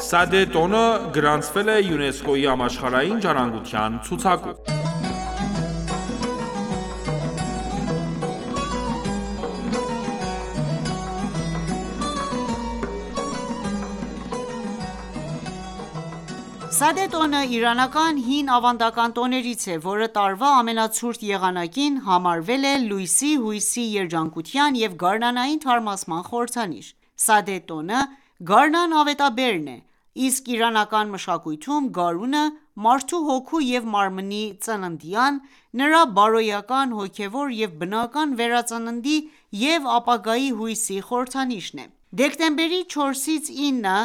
Սադե տոնը գրանցվել է ՅՈՒՆԵՍԿՕ-ի համաշխարհային ժառանգության ցուցակում։ Սադե տոնը իրանական հին ավանդական տոներից է, որը տարվա ամենացուրտ եղանակին համարվել է լույսի, հույսի, երջանկության և գարնանային թարմացման խորհրդանիշ։ Սադե տոնը գարնան ավետաբերն է, իսկ իրանական մշակույթում գարունը մարդու հոգու և մարմնի ծննդյան, նրա բարոյական, հոգևոր և բնական վերածննդի և ապագայի հույսի խորհրդանիշն է։ Դեկտեմբերի 4-ից 9-ը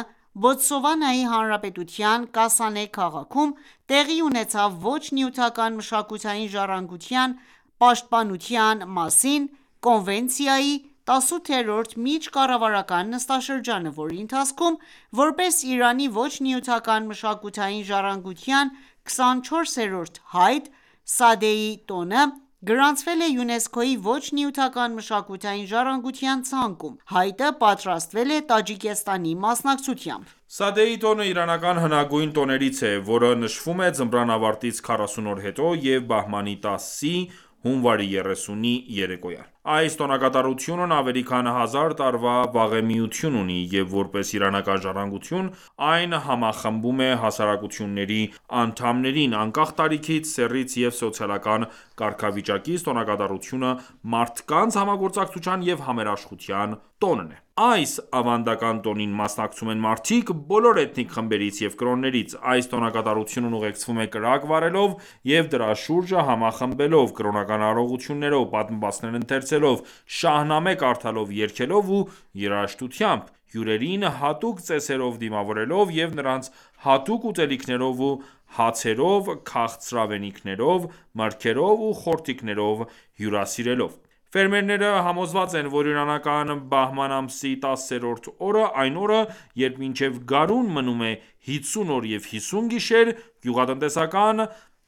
Բոտսվանայի Հանրապետության Կասանե քաղաքում տեղի ունեցավ ոչ նյութական մշակութային ժառանգության պաշտպանության մասին կոնվենցիայի 18-րդ միջկառավարական նստաշրջանը, որի ընթացքում, որպես Իրանի ոչ նյութական մշակութային ժառանգության 24-րդ հայտ, Սադեի տոնը գրանցվել է ՅՈՒՆԵՍԿՕ-ի ոչ նյութական մշակութային ժառանգության ցանկում։ Հայտը պատրաստվել է Տաջիկստանի մասնակցությամբ։ Սադեի տոնը իրանական հնագույն տոներից է, որը նշվում է ձմռան ավարտից 40 օր հետո և բահմանի 10-ի (հունվարի 30-ի) երեկոյան։ Այս տոնակատարությունն ավելի քան 1000 տարվա վաղեմիություն ունի, և որպես իրանական ժառանգություն, այն համախմբում է հասարակությունների անդամներին, անկախ տարիքից, սեռից և սոցիալական կարգավիճակից, տոնակատարությունը մարդկանց համագործակցության և համերաշխության տոնն է։ Այս ավանդական տոնին մասնակցում են մարդիկ բոլոր էթնիկ խմբերից և կրոններից։ Այս տոնակատարությունն ուղեկցվում է կրակ վառելով և դրա շուրջը համախմբելով, կրոնական առողջություններով, պատմվածքներ ընթերցելով, շահնամե կարդալով, երգելով ու երաժշտությամբ, հյուրերին հատուկ ծեսերով դիմավորելով և նրանց հատուկ ուտելիքներով ու հացերով, քաղցրավենիքներով, մրգերով ու խորթիքներով հյուրասիրելով։ Ֆերմերները համոզված են, որ իրանական բահման ամսի 10-րդ օրը, այն օրը, երբ մինչև գարուն մնում է 50 օր և 50 գիշեր, գյուղատնտեսական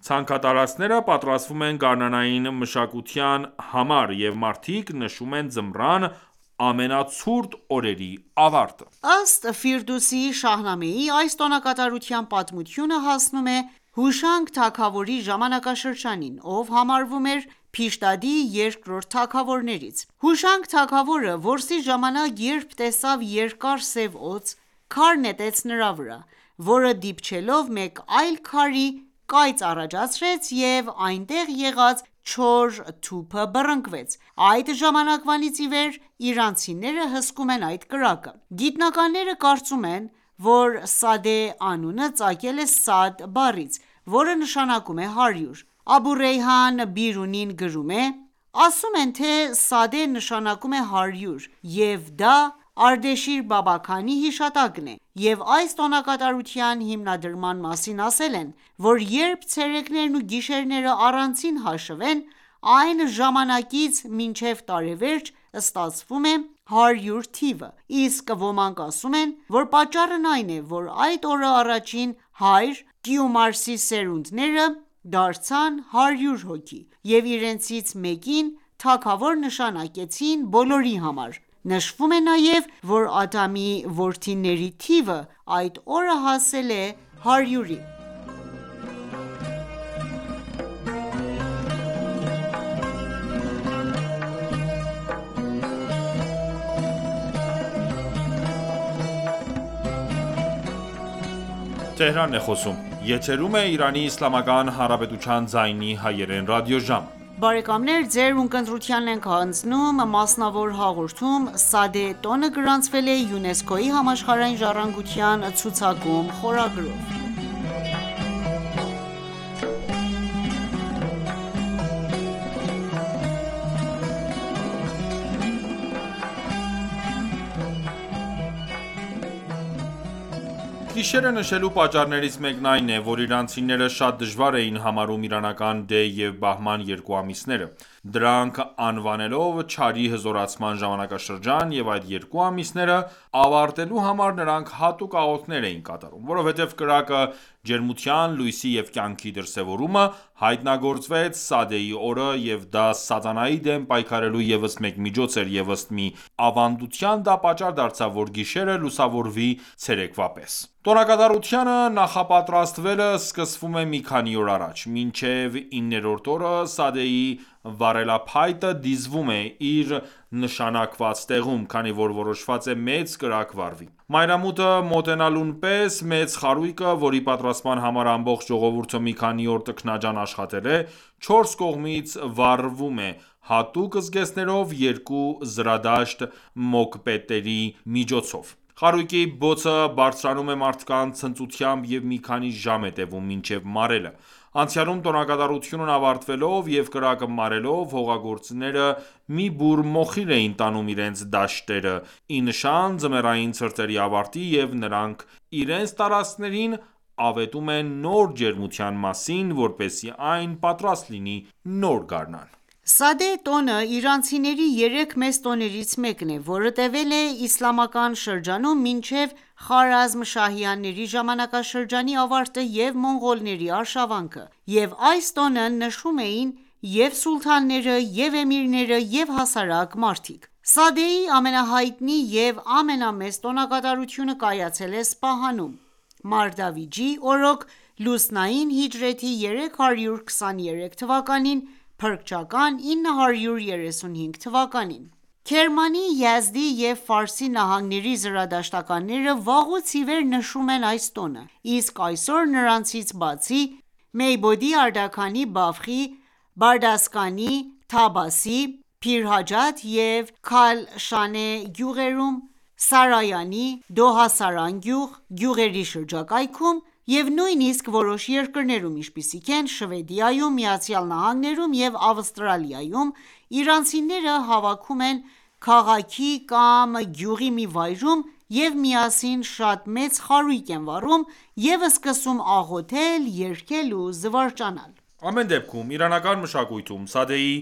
ցանքատարածքները պատրաստվում են գարնանային մշակության համար, և մարդիկ նշում են ձմռան ամենացուրտ օրերի ավարտը։ Ըստ Ֆիրդուսի Շահնամեի, այս տոնակատարության պատմությունը հասնում է Հուշանգ թագավորի ժամանակաշրջանին, ով համարվում էր Փիշտադի երկրորդ թագավորներից։ Հուշանգ թագավորը որսի ժամանակ, երբ տեսավ երկար սև օձ, քար նետեց նրա վրա, որը դիպչելով մեկ այլ քարի, կայծ առաջացրեց և այնտեղ եղած չոր թուփը բռնկվեց։ Այդ ժամանակվանից ի վեր իրանցիները հսկում են այդ կրակը։ Գիտնականները կարծում են, որ Սադե անունը ծագել է Սադ բառից, որը նշանակում է 100։ Աբու Ռեյհան Բիրունին գրում է.«Ասում են, թե Սադե նշանակում է 100, և դա Արդեշիր Բաբաքանի հիշատակն է, և այս տոնակատարության հիմնադրման մասին ասել են, որ երբ ցերեկներն ու գիշերները առանցին հաշվվեն, այն ժամանակից մինչև տարեվերջ ստացվում է 100 թիվը, իսկ ոմանք ասում են, որ պատճառն այն է, որ այդ օրը առաջին հայր Տիումարսի սերունդները դարձան 100 հոգի և իրենցից մեկին թագավոր նշանակեցին բոլորի համար։ Նշվում է նաև, որ Ադամի որդիների թիվը այդ օրը հասել է 100-ի»։ Սադե տոնը գրանցվել է ՅՈՒՆԵՍԿՕ-ի համաշխարհային ժառանգության ցուցակում խորագրով։ Գիշերը նշելու պատճառներից մեկն այն է, որ իրանցիները շատ դժվար էին համարում իրանական դեյ և բահման երկու ամիսները։ դրանք անվանելով չարի հզորացման ժամանակաշրջան և այդ երկու ամիսները ավարտելու համար նրանք հատուկ աղոթքներ էին կատարում: Որովհետև կրակը ջերմության, լույսի և կյանքի դրսևորումը հայտնագործվեց Սադեի օրը և դա սատանայի դեմ պայքարելու ևս մեկ միջոց էր և ըստ մի ավանդության դա պատճառ դարձավ որ գիշերը լուսավորվի ցերեկվա պես: Տոնակատարությանը նախապատրաստվելը սկսվում է մի քանի օր առաջ: Մինչև 9-րդ օրը Սադեի վառելափայտը դիզվում է իր նշանակված տեղում, քանի որ որոշված է մեծ կրակ վառվի: Մայրամուտը մոտենալուն պես մեծ խարույկը, որի պատրաստման համար ամբողջ ժողովուրդը մի քանի օր տքնաջան աշխատել է, 4 կողմից վառվում է հատուկ զգեստներով երկու զրադաշտ մոկպետերի միջոցով: Խարույկի բոցը բարձրանում է մարդկանց ցնծությամբ և մի քանի ժամ է տևում մինչև մարելը: Անցյալում տոնակատարությունն ավարտվելով և կրակը մարելով հողագործները մի բուռ մոխիր էին տանում իրենց դաշտերը ի նշան ձմեռային ցրտերի ավարտի և նրանք իրենց տարածքներին ավետում են նոր ջերմության մասին որպեսզի այն պատրաստ լինի նոր գարնան: Սադե տոնը իրանցիների 3 մեծ տոներից մեկն է, որը տևել է իսլամական շրջանում մինչև Խարազմշահյանների ժամանակաշրջանի ավարտը և մոնղոլների արշավանքը, և այս տոնը նշում էին և՛ սուլթանները, և՛ էմիրները, և՛ հասարակ մարդիկ: Սադեի ամենահայտնի և ամենամեծ տոնակատարությունը կայացել է Սպահանում, Մարդավիջի օրոք լուսնային հիջրեթի 323 թվականին (փրկչական 935 թվականին): Քերմանի, Յազդի և Ֆարսի նահանգների զրադաշտականները վաղուց իվեր նշում են այս տոնը, իսկ այսօր նրանցից բացի Մեյբոդի, Արդաքանի, Բալխի, Բարդասկանի, Թաբասի, Փիրհաջաթ և Քալշանե գյուղերում, Սարայանի, Դոհասարան գյուղերի շրջակայքում և նույնիսկ որոշ երկրներում, ինչպիսիք են Շվեդիայում, ԱՄՆ-ում և Ավստրալիայում, իրանցիները հավաքում են քաղաքի կամ գյուղի մի վայրում և միասին շատ մեծ խարույկ են վառում և սկսում աղոթել, երգել ու զվարճանալ: Ամեն դեպքում, իրանական մշակույթում Սադեի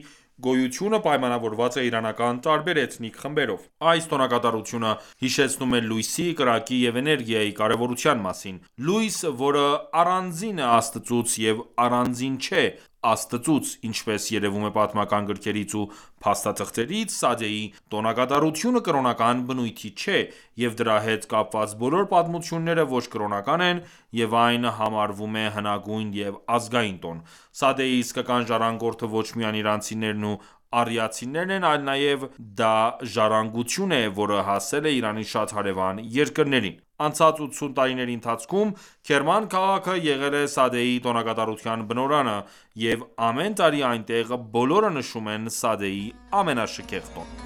գոյությունը պայմանավորված է իրանական տարբեր էթնիկ խմբերով: Այս տոնակատարությունը հիշեցնում է լույսի, կրակի և էներգիայի կարևորության մասին: Լույս, որը առանձին է Աստծուց և առանձին չէ Աստծուց: Ինչպես երևում է պատմական գրքերից ու փաստաթղթերից, Սադեի տոնակատարությունը կրոնական բնույթի չէ, և դրա հետ կապված բոլոր պատմությունները ոչ կրոնական են և այն համարվում է հնագույն և ազգային տոն: Սադեի իսկական ժառանգորդը ոչ միայն իրանցիներն ու արիացիներն են, այլ նաև դա ժառանգություն է, որը հասել է Իրանի շատ հարևան երկրներին: Անցած 80 տարիների ընթացքում Քերման քաղաքը եղել է Սադեի տոնակատարության բնօրրանը և ամեն տարի այնտեղ բոլորը նշում են Սադեի ամենաշքեղ տոնը: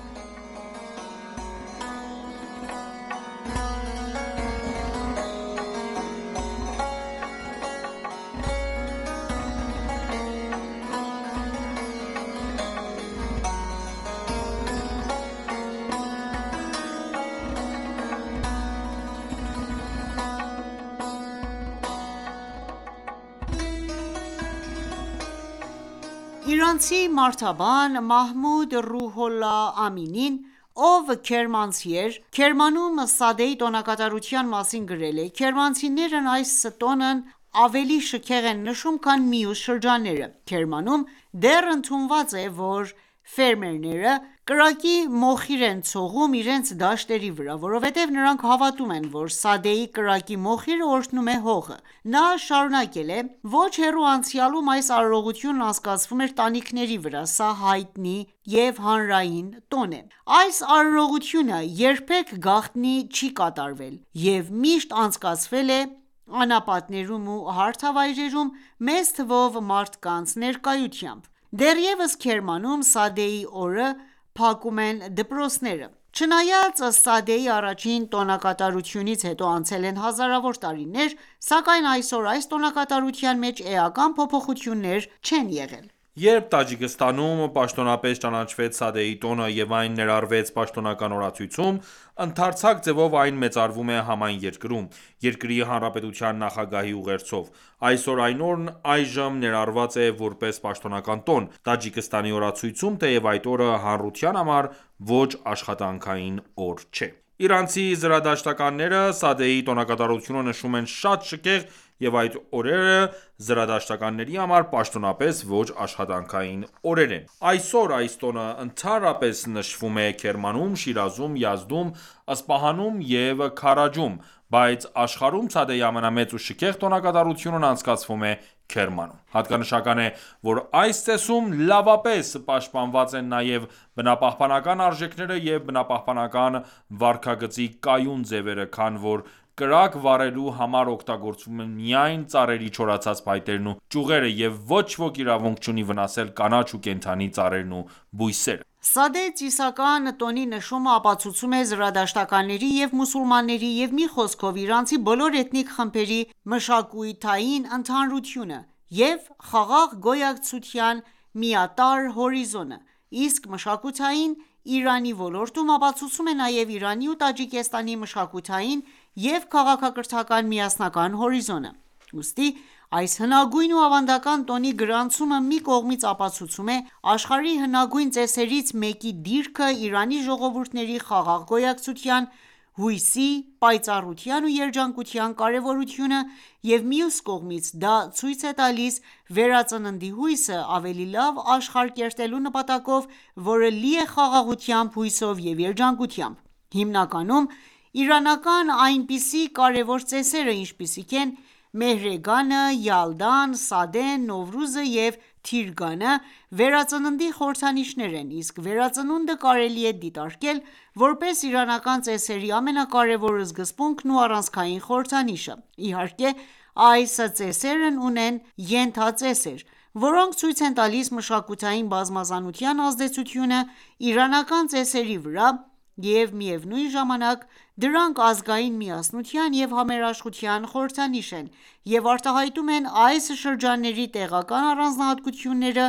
Իրանցի մարդաբան Մահմուդ Ռուհոլլահ Ամինին, ով քերմանցի էր, Քերմանում Սադեի տոնակատարության մասին գրել է.«Քերմանցիներն այս տոնն ավելի շքեղ են նշում, քան մյուս շրջանները: Քերմանում դեռ ընդունված է, որ ֆերմերները կրակի մոխիր են ցողում իրենց դաշտերի վրա, որովհետև նրանք հավատում են, որ Սադեի կրակի մոխիրը օրհնում է հողը»: Նա շարունակել է.«Ոչ հեռու անցյալում այս արարողությունն անցկացվում էր տանիքների վրա: Սա հայտնի և հանրային տոն է: Այս արարողությունը երբեք գաղտնի չի կատարվել և միշտ անցկացվել է անապատներում ու հարթավայրերում մեծ թվով մարդկանց ներկայությամբ: Դեռևս Քերմանում Սադեի օրը փակում են դպրոցները: Չնայած Սադեի առաջին տոնակատարությունից հետո անցել են հազարավոր տարիներ, սակայն այսօր այս տոնակատարության մեջ էական փոփոխություններ չեն եղել: Երբ Տաջիկստանում պաշտոնապես ճանաչվեց Սադեի տոնը և այն ներառվեց պաշտոնական օրացույցում, ընդարձակ ձևով այն մեծարվում է համայն երկրում, երկրի հանրապետության նախագահի ուղերձով: Այսօր այն օրն այժմ ներառված է որպես պաշտոնական տոն Տաջիկստանի օրացույցում, թեև այդ օրը հանրության համար ոչ աշխատանքային օր չէ: Իրանցի զրադաշտականները Սադեի տոնակատարությունը նշում են շատ շքեղ և այդ օրերը զրադաշտականների համար պաշտոնապես ոչ աշխատանքային օրեր են: Այսօր այս տոնը ընդհանրապես նշվում է Քերմանում, Շիրազում, Յազդում, Սպահանում և Քարաջում, բայց աշխարհում Սադեի ամենամեծ ու շքեղ տոնակատարությունն անցկացվում է Քերմանում: Հատկանշական է, որ այս ծեսում լավապես պաշտպանված են նաև բնապահպանական արժեքները և բնապահպանական վարքագծի կայուն ձևերը, քանի որ կրակ վառելու համար օգտագործվում են միայն ծառերի չորացած փայտերն ու ճյուղերը և ոչ ոք իրավունք չունի վնասել կանաչ ու կենդանի ծառերն ու բույսերը: Սադե ծիսական տոնի նշումը ապացուցում է զրադաշտականների և մուսուլմանների և մի խոսքով իրանցի բոլոր էթնիկ խմբերի մշակութային ընդհանրությունը և խաղաղ գոյակցության միատարր հորիզոնը, իսկ մշակութային Իրանի ոլորտում ապացուցում է նաև Իրանի ու Տաջիկստանի մշակութային և քաղաքակրթական միասնական հորիզոնը: Ուստի այս հնագույն ու ավանդական տոնի գրանցումը մի կողմից ապացուցում է աշխարհի հնագույն ծեսերից մեկի դիրքը Իրանի ժողովուրդների խաղաղ գոյակցության, հույսի, պայծառության ու երջանկության կարևորությունը և մյուս կողմից դա ցույց է տալիս վերածննդի հույսը ավելի լավ աշխարհ կերտելու նպատակով, որը լի է խաղաղությամբ, հույսով և երջանկությամբ: Հիմնականում իրանական այնպիսի կարևոր ծեսերը, ինչպիսիք են Մեհրեգանը, Յալդան, Սադեն, Նովրուզը և Թիրգանը, վերածննդի խորհրդանիշներ են, իսկ վերածնունդը կարելի է դիտարկել որպես իրանական ծեսերի ամենակարևոր սկզբունքն ու առանցքային խորհրդանիշը: Իհարկե, այս ծեսերն ունեն ենթածեսեր, որոնք ցույց են տալիս մշակութային բազմազանության ազդեցությունը իրանական ծեսերի վրա և միևնույն ժամանակ դրանք ազգային միասնության և համերաշխության խորհրդանիշ են և արտահայտում են այս շրջանների տեղական առանձնահատկությունները,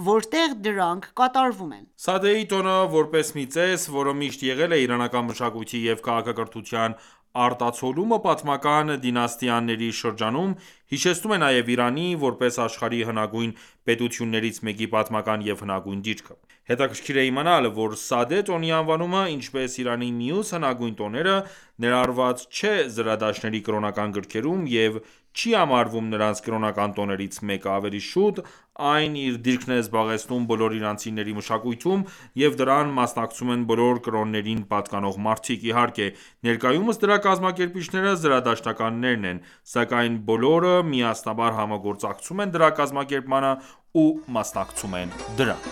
որտեղ դրանք կատարվում են: Սադեի տոնը, որպես մի ծես, որը միշտ եղել է իրանական մշակույթի և քաղաքակրթության արտացոլումը պատմական դինաստիաների շրջանում, հիշեցնում է նաև Իրանի, որպես աշխարհի հնագույն պետություններից մեկի պատմական և հնագույն դիրքը: Հետաքրքիր է իմանալ, որ Սադե տոնի անվանումը, ինչպես Իրանի մյուս հնագույն տոները, ներառված չէ զրադաշտների կրոնական գրքերում և չի համարվում նրանց կրոնական տոներից մեկը, ավելի շուտ այն իր դիրքն է զբաղեցնում բոլոր իրանցիների մշակույթում և դրան մասնակցում են բոլոր կրոններին պատկանող մարդիկ: Իհարկե, ներկայումս դրա կազմակերպիչները զրադաշտականներն են, սակայն բոլորը միասնաբար համագործակցում են դրա կազմակերպմանը ու մասնակցում են դրան: